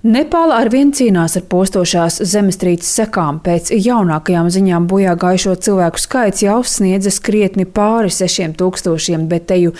Nepāla arvien cīnās ar postošās zemestrīces sekām. Pēc jaunākajām ziņām bojā gājušo cilvēku skaits jau sniedzas krietni pāri 6000, bet teju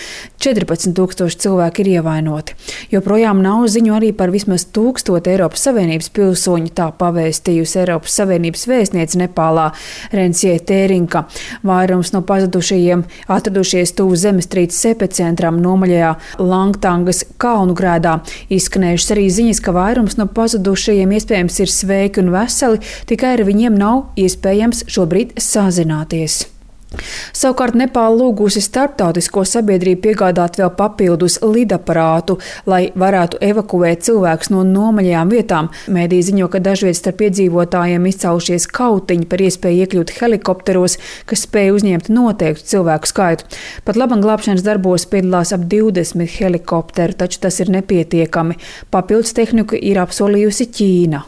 14,000 cilvēki ir ievainoti. Joprojām nav ziņu arī par vismaz 1000 Eiropas Savienības pilsoņu, tā pavēstījusi Eiropas Savienības vēstniece Nepālā Rensie Tērinka. Vairums no pazudušajiem atradušies tuvu zemestrīces epicentram nomaļajā Langtangas kalnu grēdā. Izskanējušas arī ziņas, ka vairums no pazudušajiem iespējams ir sveiki un veseli, tikai ar viņiem nav iespējams šobrīd sazināties. Savukārt Nepāla lūgusi starptautisko sabiedrību piegādāt vēl papildus lidaparātu, lai varētu evakuēt cilvēkus no nomaļajām vietām. Mēdī ziņo, ka dažviet starp iedzīvotājiem izcēlušies kautiņi par iespēju iekļūt helikopteros, kas spēja uzņemt noteiktu cilvēku skaitu. Pat laban glābšanas darbos piedalās ap 20 helikopteru, taču tas ir nepietiekami. Papildus tehniku ir apsolījusi Ķīna.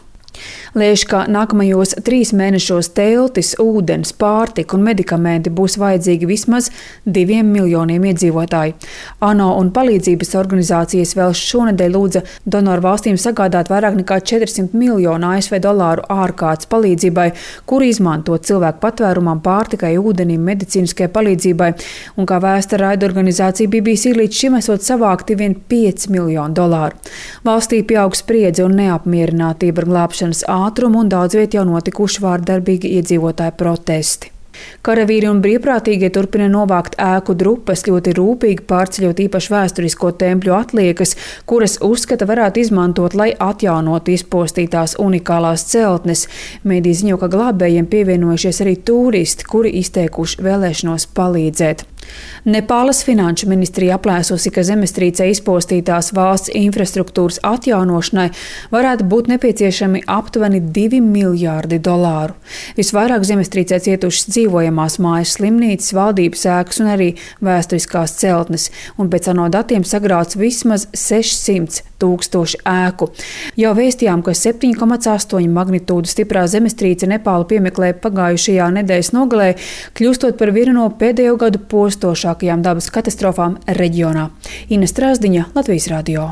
Lēš, ka nākamajos 3 mēnešos teltis, ūdens, pārtika un medikamenti būs vajadzīgi vismaz 2 miljoniem iedzīvotāju. ANO un palīdzības organizācijas vēl šonedēļ lūdza donoru valstīm sagādāt vairāk nekā 400 miljonu ASV dolāru ārkārtas palīdzībai, kuru izmantot cilvēku patvērumam, pārtikai, ūdenim, medicīniskai palīdzībai. Un kā vēsta raida organizācija BBC, līdz šim esot savākti vien 5 miljonu dolāru. Valstī pieaug spriedze un neapmierinātība ar glābšanas ātrumu un daudz viet jau notikuši vārdarbīgi iedzīvotāju protesti. Karavīri un brīvprātīgie turpina novākt ēku drupas, ļoti rūpīgi pārceļot īpaši vēsturisko tempļu atliekas, kuras uzskata varētu izmantot, lai atjaunotu izpostītās unikālās celtnes. Mēdī ziņo, ka glābējiem pievienojušies arī tūristi, kuri izteikuši vēlēšanos palīdzēt. Nepālas finanšu ministrija aplēsusi, ka zemestrīcē izpostītās valsts infrastruktūras atjaunošanai varētu būt nepieciešami aptuveni 2 miljārdi dolāru. Visvairāk zemestrīcē cietušas dzīvojamās mājas, slimnīcas, valdības ēkas un arī vēsturiskās celtnes, un pēc ANO datiem sagrauts vismaz 600 000 ēku. Jau vēstījām, ka 7,8 magnitūdu stiprā zemestrīce Nepālu piemeklēja pagājušajā nedēļas nogalē, kļūstot par vienu no pēdējo gadu postošākajām dabas katastrofām reģionā. Ina Strasdiņa, Latvijas radio.